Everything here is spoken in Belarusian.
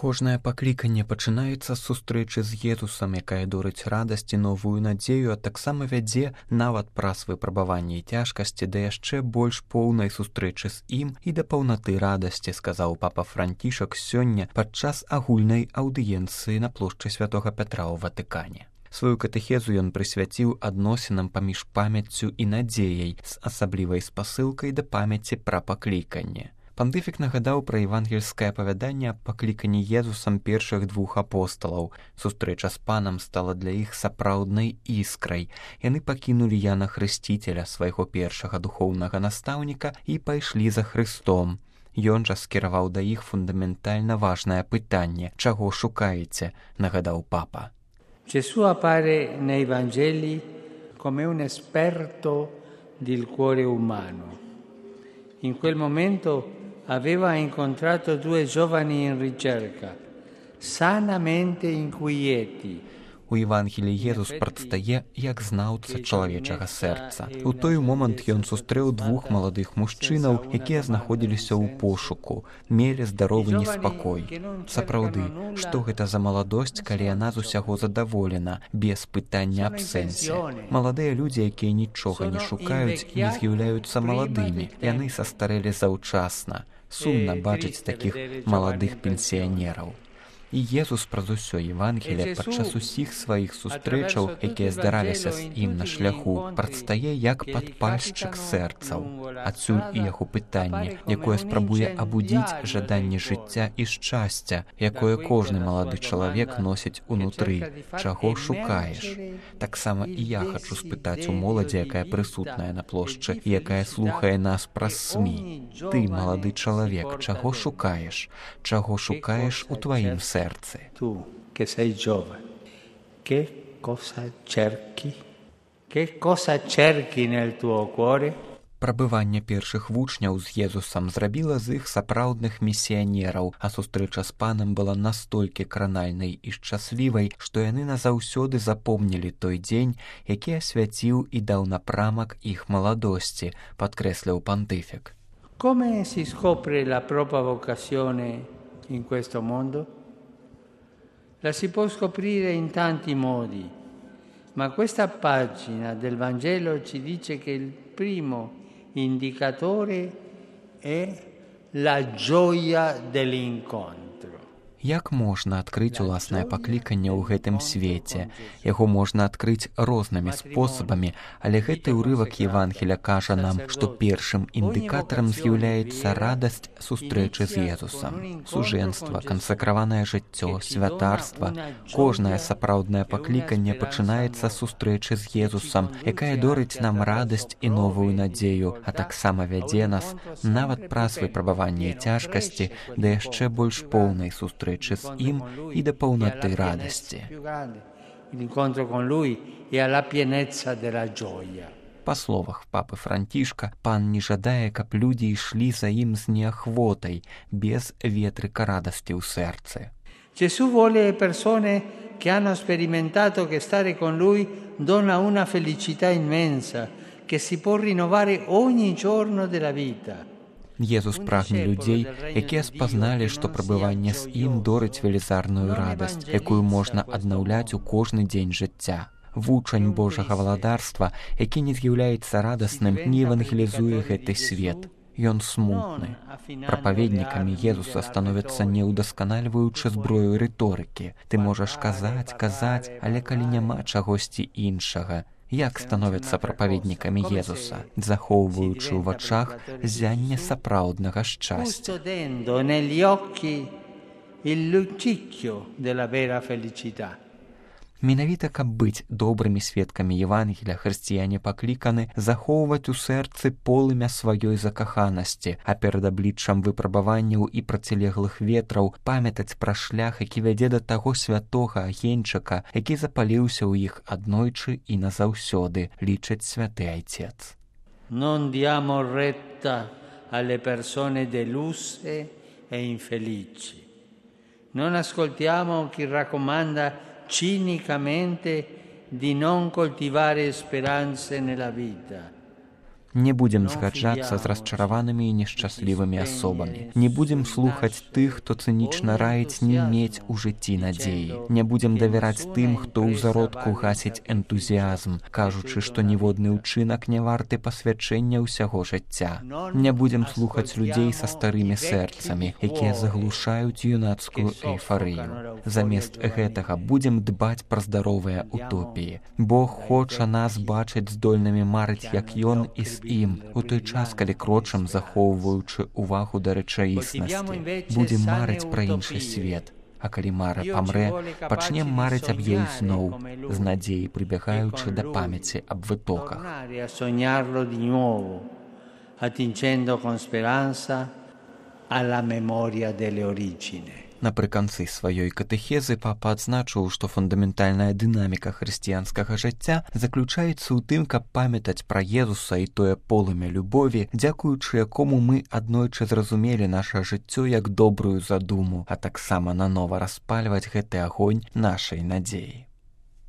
Кожнае пакліканне пачынаецца з сустрэчы з Езусам, якая дорыць радасць і новую надзею, а таксама вядзе нават праз выпрабаванні і цяжкасці да яшчэ больш поўнай сустрэчы з ім і да паўнаты радасці, сказаў папа Францішак сёння падчас агульнай аўдыенцыі на плошчы Святога Пятра ў Ватыкане. Сваю катэхезу ён прысвяціў адносінам паміж памяццю і надзеяй з асаблівай спасылкай да памяці пра пакліканне. Пантыфік нагадаў пра евангельскае апавяданне аб пакліканні Езусам першых двух апосталаў. Сустрэча з панам стала для іх сапраўднай іскрай. Яны пакінулі Яна Хрысціцеля, свайго першага духоўнага настаўніка, і пайшлі за Хрыстом. Ён жа скіраваў да іх фундаментальна важнае пытанне: «Чаго шукаеце?», нагадаў папа. Gesù appare nei Vangeli come un esperto del cuore umano. In quel momento aveva incontrato due giovani in ricerca, sanamente inquieti. У Евангеліі Езус прадстае як знаўца чалавечага сэрца. У той момант ён сустрэў двух маладых мужчынаў, якія знаходзіліся ў пошуку, мелі здаровы неспакой. Сапраўды, што гэта за маладосць, калі яна з усяго задаволена, без пытання аб сэнсе? Маладыя людзі, якія нічога не шукаюць, не з'яўляюцца маладымі. Яны састарэлі заўчасна. Сумна бачыць такіх маладых пенсіянераў. І Езус праз усё Евангелие падчас усіх сваіх сустрэчаў, якія здараліся з ім на шляху, прадстае як падпальшчык сэрцаў. Адсюль і яго пытанне, якое спрабуе абудзіць жаданне жыцця і шчасця, якое кожны малады чалавек носіць унутры. Чаго шукаеш? Таксама і я хачу спытаць у моладзі, якая прысутная на плошчы і якая слухае нас праз СМІ. Ты, малады чалавек, чаго шукаеш? Чаго шукаеш у тваім сэрцы? Tu che sei giovane, che cosa cerchi? Che cosa cerchi nel tuo cuore? Прабыванне першых вучняў з Езусам зрабіла з іх сапраўдных місіянераў, а сустрэча з панам была настолькі кранальнай і шчаслівай, што яны назаўсёды запомнілі той дзень, які асвяціў і даў напрамак іх маладосці, падкрэсліў пантыфік. Come si scopre la propria vocazione in questo mondo? La si può scoprire in tanti modi, ma questa pagina del Vangelo ci dice che il primo indicatore è la gioia dell'incontro. Як можна адкрыць уласнае пакліканне ў гэтым свеце? Яго можна адкрыць рознымі спосабамі, але гэты ўрывак Евангеля кажа нам, што першым індыкатарам з'яўляецца радасць сустрэчы з Езусам. Сужэнства, кансакраванае жыццё, святарства. Кожнае сапраўднае пакліканне пачынаецца з сустрэчы з Езусам, якая дорыць нам радасць і новую надзею, а таксама вядзе нас нават праз выпрабаванне і цяжкасці да яшчэ больш поўнай сустрэчы з ім і да паўнаты радасці. Па словах папы Францішка, пан не жадае, каб людзі ішлі за ім з неахвотай, без ветрыка радасці ў сэрцы. Gesù vuole persone che hanno sperimentato che stare con lui dona una felicità immensa che si può rinnovare ogni giorno della vita. Езус прагне людзей, якія спазналі, што прабыванне з ім дорыць велізарную радасць, якую можна аднаўляць у кожны дзень жыцця. Вучань Божага валадарства, які не з'яўляецца радасным, не евангелізуе гэты свет. Ён смутны. Прапаведнікамі Езуса становяцца не ўдасканальваючы зброю рыторыкі. Ты можаш казаць, але калі няма чагосьці іншага, як становяцца прапаведнікамі Езуса, захоўваючы ў вачах ззянне сапраўднага шчасця. Менавіта, каб быць добрымі сведкамі Евангеля, хрысціяне пакліканы захоўваць у сэрцы полымя сваёй закаханасці, а перад абліччам выпрабаванняў і процілеглых ветраў памятаць пра шлях, які вядзе да таго святога агеньчыка, які запаліўся ў іх аднойчы і назаўсёды, лічыць святы айцец. Non diamo retta alle persone deluse e infelici. Non ascoltiamo chi raccomanda cinicamente di non coltivare speranze nella vita. Не будзем згаджацца з расчараванымі і нешчаслівымі асобамі. Не будзем слухаць тых, хто цынічна раіць не мець у жыцці надзеі. Не будзем давяраць тым, хто ў зародку гасіць энтузіязм, кажучы, што ніводны ўчынак не варты пасвячэння ўсяго жыцця. Не будзем слухаць людзей са старымі сэрцамі, якія заглушаюць юнацкую эйфарыю. Замест гэтага будзем дбаць пра здаровыя утопіі. Бог хоча нас бачыць здольнымі марыць, як ён і з ім, у той час, калі крочым, захоўваючы ўвагу да рэчаіснасці. Будзем марыць пра іншы свет. А калі мара памрэ, пачнем марыць аб ёй зноў, з надзеяй прыбягаючы да памяці аб вытоках. Attingendo con speranza alla memoria delle origini. Напрыканцы сваёй катэхезы папа адзначыў, што фундаментальная дынаміка хрысціянскага жыцця заключаецца ў тым, каб памятаць пра Езуса і тое полымя любові, дзякуючы якому мы аднойчы зразумелі наша жыццё як добрую задуму, а таксама нанова распальваць гэты агонь нашай надзеі.